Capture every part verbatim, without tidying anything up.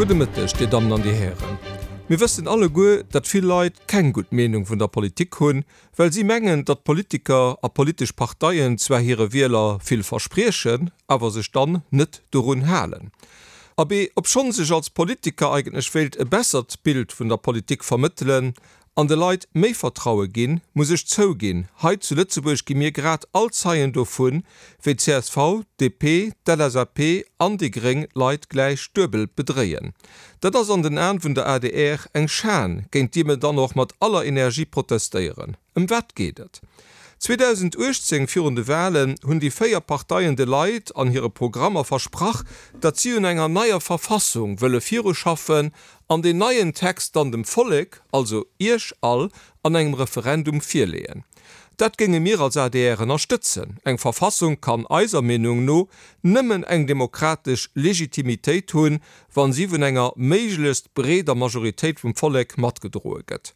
Gudde Mëtteg, Dir Dammen an Dir Hären. Mir wëssen alleguer, datt vill Leit keng gutt Meenung vun der Politik hunn, well si mengen, datt Politiker a politesch Parteien zwar hire Wieler vill verspriechen, awer sech dann net dorun halen. Abee, obschonns ech als Politiker eigentlech wéilt e bessert Bild vun der Politik vermëttelen an de Leit méi Vertraue ginn, muss ech zouginn, hei zu Lëtzebuerg gi mir grad all Zeien dovun, wéi csv, DP, d'LSAP an déi gréng d'Leit gläich duebel bedréien. Dat ass an den Aen vun der adr eng Schan, géint déi mir dann och mat aller Energie protestéieren. Ëm wat geet et? zweedausenduechtzéng virun de Walen hunn déi véier Parteien de Leit an hire Programmer versprach, datt si un enger neier Verfassung wëlle viruschaffen an deen neien Text dann dem Vollek, also Iech all, an engem Referendum virleeën. Dat géinge mir als adr ënnerstëtzen. Eng Verfassung kann eiser Meenung no nëmmen eng demokratesch Legitimitéit hunn, wa si vun enger méiglechst breeder Majoritéit vum Vollek matgedroe gëtt.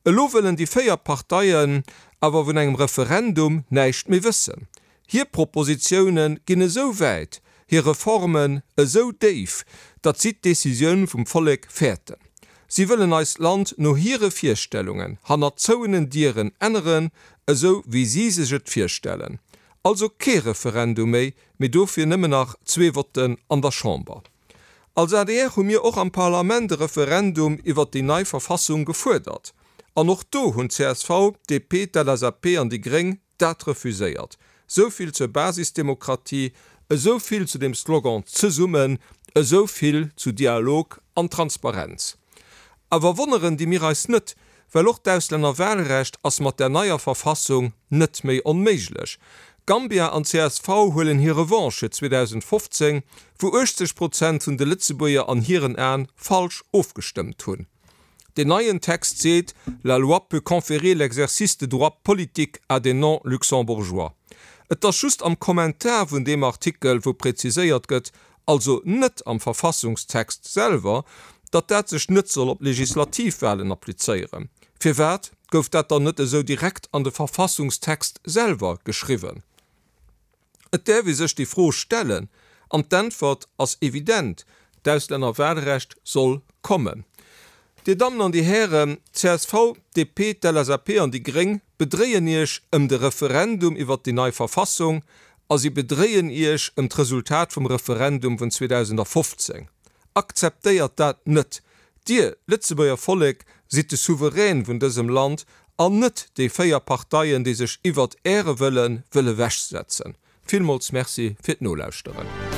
Elo wëllen déi véier Parteien awer vun engem Referendum näischt méi wëssen. Hir Propositioune ginn esou wäit, hir Reformen esou déif, datt si d'Decisioun vum Vollek fäerten. Si wëllen eist Land no hire Virstellungen hannert zouenen Dieren änneren, esou wéi si sech et virstellen. Also kee Referendum méi, mee dofir nëmmen nach zwee Votten an der Chamber. Als adr hu mir och am Parlament e Referendum iwwert déi nei Verfassung gefuerdert. An och do hunn csv, DP, d'LSAP an déi gréng dat refuséiert. Esou vill zur Basisdemokratie, esou vill zu dem Slogan Zesummen, esou vill zu Dialog an Transparenz. Awer wonneren di mir eis net, well och d'Auslännerwahlrecht ass mat der neier Verfassung net méi onméiglech. Gambia an csv huelen hir Revanche fir zweedausendfofzéng, wou uechtzeg Prozent vun de Lëtzebuerger an hiren Aen falsch ofgestëmmt hunn. Deen neien Text seet, La loi peut conférer l'exercice de droits politiques à des non-Luxembourgeois. Et ass just am Kommentar vun deem Artikel, wou präziséiert gëtt, also net am Verfassungstext selwer, datt dat sech net soll op Legislativwahlen applizéieren. Firwat gouf dat dann net esou direkt an de Verfassungstext selwer geschriwwen? Et däerf ee sech déi Fro stellen, an d'Äntwert ass evident, D'Auslännerwahlrecht soll kommen. Dir Dammen an Dir Hären, csv, D P, d'L S A P an déi gréng bedréien Iech ëm de Referendum iwwert déi nei Verfassung a si bedréien Iech ëm d'Resultat vum Referendum vun zweedausendafofzéng. Akzeptéiert dat net! Dir, Lëtzebuerger Vollek, sidd de Souverän vun dësem Land an net déi véier Parteien, déi sech iwwert Äre Wëlle wëlle wechsetzen. Villmools Merci fir d'Nolauschteren.